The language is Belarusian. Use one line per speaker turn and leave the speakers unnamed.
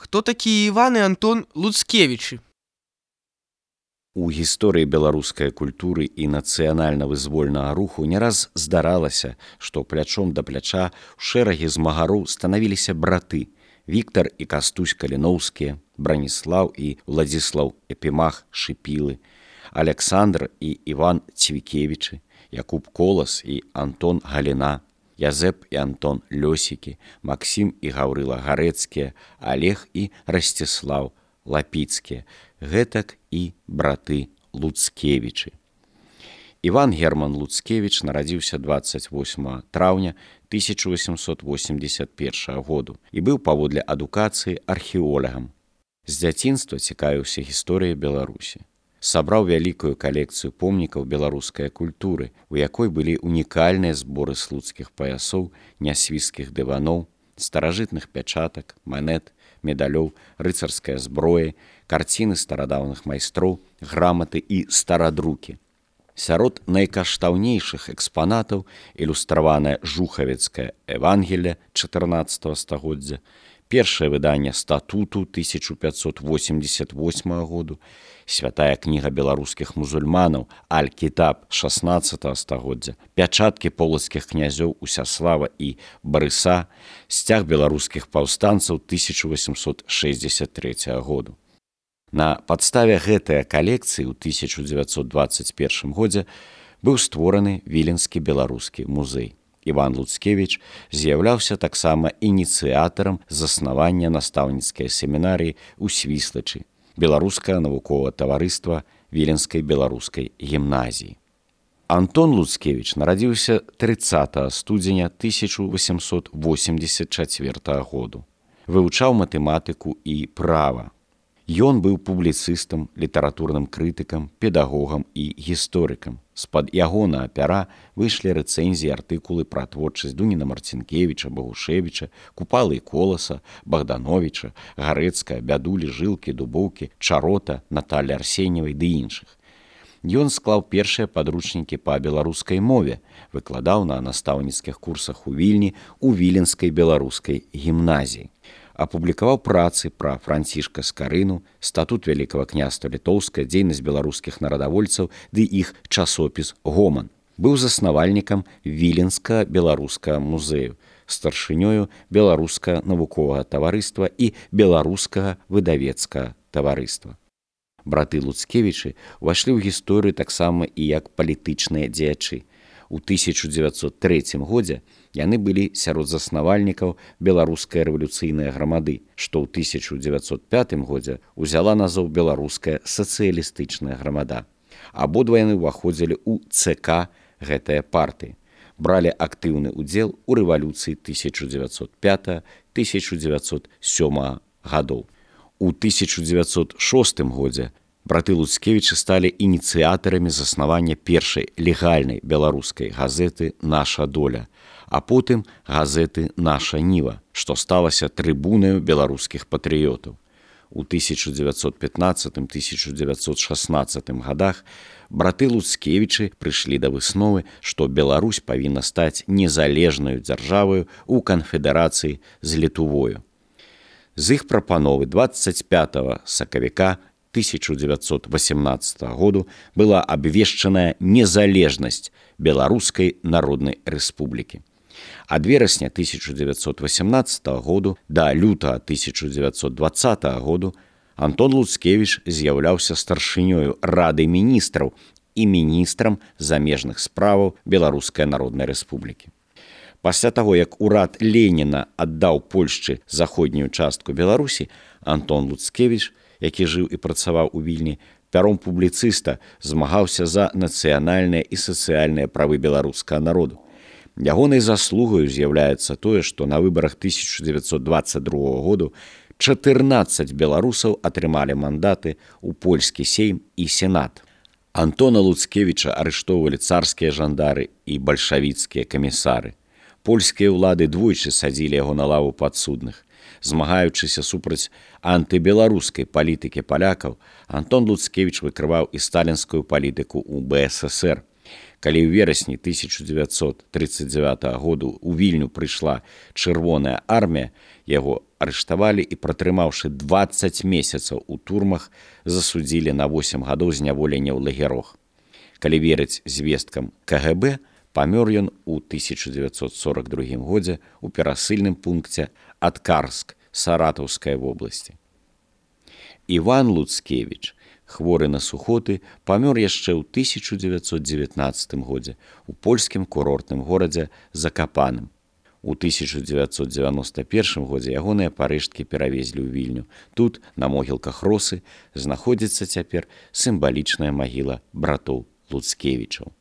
Хто такія Іван і Антон Луцкевічы?
У гісторыі беларускай культуры і нацыянальна-вызвольнага руху не раз здаралася, што плячом да пляча ў шэрагі змагароў станавіліся браты Віктар і Кастусь Каліноўскія, Браніслаў і Владзіслаў Епімах Шыпілы, Аляксандр і Іван Цвікевічы, Якуб Колас і Антон Галіна, Язэп і Антон Лёсікі, Максім і Гаўрыла Гарэцкія, Алег і Расціслаў Лапіцкія, гэтак і браты Луцкевічы. Іван Герман Луцкевіч нарадзіўся 28 траўня 1881 году і быў паводле адукацыі археолагам. З дзяцінства цікавіўся гісторыяй Беларусі. Сабраў вялікую калекцыю помнікаў беларускай культуры, у якой былі унікальныя зборы слуцкіх паясоў, нясвіжскіх дываноў, старажытных пячатак, манет, медалёў, рыцарская зброя, карціны старадаўных майстроў, граматы і старадрукі. Сярод найкаштаўнейшых экспанатаў ілюстраванае жухавецкае Евангелле 14 стагоддзя, першае выданне статуту 1588 году, святая кніга беларускіх мусульманаў Аль-Кітаб 16 стагоддзя, пячаткі полацкіх князёў Усяслава і Барыса, сцяг беларускіх паўстанцаў 1863 году. На падставе гэтай калекцыі ў 1921 годзе быў створаны Віленскі беларускі музей. Іван Луцкевіч з'яўляўся таксама ініцыятарам заснавання настаўніцкай семінарыі ў Свіслачы, беларускае навуковае таварыства Віленскай беларускай гімназіі. Антон Луцкевіч нарадзіўся 30 студзеня 1884 году. Вывучаў матэматыку і права. Ён быў публіцыстам, літаратурным крытыкам, педагогам і гісторыкам. З-пад ягонага пяра выйшлі рэцэнзіі, артыкулы пра творчасць Дуніна Марцінкевіча, Багушевіча, Купалы і Коласа, Богдановича, Гарэцкая, Бядулі, Жылкі, Дубоўкі, Чарота, Наталі Арсеньевай ды іншых. Ён склаў першыя падручнікі па беларускай мове, выкладаў на настаўніцкіх курсах у Вільні ў Віленскай беларускай гімназіі. Апублікаваў працы пра Францішка Скарыну, статут Вялікага княства Літоўскае, дзейнасць беларускіх нарадавольцаў ды іх часопіс «Гоман». Быў заснавальнікам Віленска-беларускага музею, старшынёю беларускага навуковага таварыства і беларускага выдавецкага таварыства. Браты Луцкевічы ўвайшлі ў гісторыю таксама і як палітычныя дзеячы. У 1903 годзе яны былі сярод заснавальнікаў беларускай рэвалюцыйнай грамады, што ў 1905 годзе ўзяла назоў беларуская сацыялістычная грамада. Абодва яны ўваходзілі ў ЦК гэтае партыі, бралі актыўны ўдзел у рэвалюцыі 1905-1907 гадоў. У 1906 годзе браты Луцкевічы сталі ініцыятарамі заснавання першай легальнай беларускай газеты «Наша доля», а потым газеты «Наша ніва», што сталася трыбунаю беларускіх патрыётаў. У 1915-1916 гадах браты Луцкевічы прыйшлі да высновы, што Беларусь павінна стаць незалежнаю дзяржаваю ў канфедэрацыі з Літувою. З іх прапановы 25 сакавіка 1918 году была абвешчаная незалежнасць Беларускай народнай рэспублікі. Ад верасня 1918 году да лютага 1920 году Антон Луцкевіч з'яўляўся старшынёю Рады міністраў і міністрам замежных справаў Беларускай народнай рэспублікі. Пасля таго, як урад Леніна аддаў Польшчы заходнюю частку Беларусі, Антон Луцкевіч, які жыў і працаваў у Вільні, пяром публіцыста змагаўся за нацыянальныя і сацыяльныя правы беларускага народу. Ягонай заслугаю з'яўляецца тое, што на выбарах 1922 году 14 беларусаў атрымалі мандаты ў польскі сейм і сенат. Антона Луцкевіча арыштоўвалі царскія жандары і бальшавіцкія камісары. Польскія ўлады двойчы садзілі яго на лаву падсудных. Змагаючыся супраць антыбеларускай палітыкі палякаў, Антон Луцкевіч выкрываў і сталінскую палітыку ў БССР. Калі ў верасні 1939 году ў Вільню прыйшла чырвоная армія, яго арыштавалі і, пратрымаўшы 20 месяцаў у турмах, засудзілі на 8 гадоў зняволення ў лагерах. Калі верыць звесткам КГБ, памёр ён у 1942 годзе ў перасыльным пункце Аткарск Саратаўскай вобласці. Іван Луцкевіч, хворы на сухоты, памёр яшчэ ў 1919 годзе у польскім курортным горадзе Закапаным. У 1991 годзе ягоныя парэшткі перавезлі ў Вільню. Тут, на могілках Росы, знаходзіцца цяпер сімвалічная магіла братоў Луцкевічаў.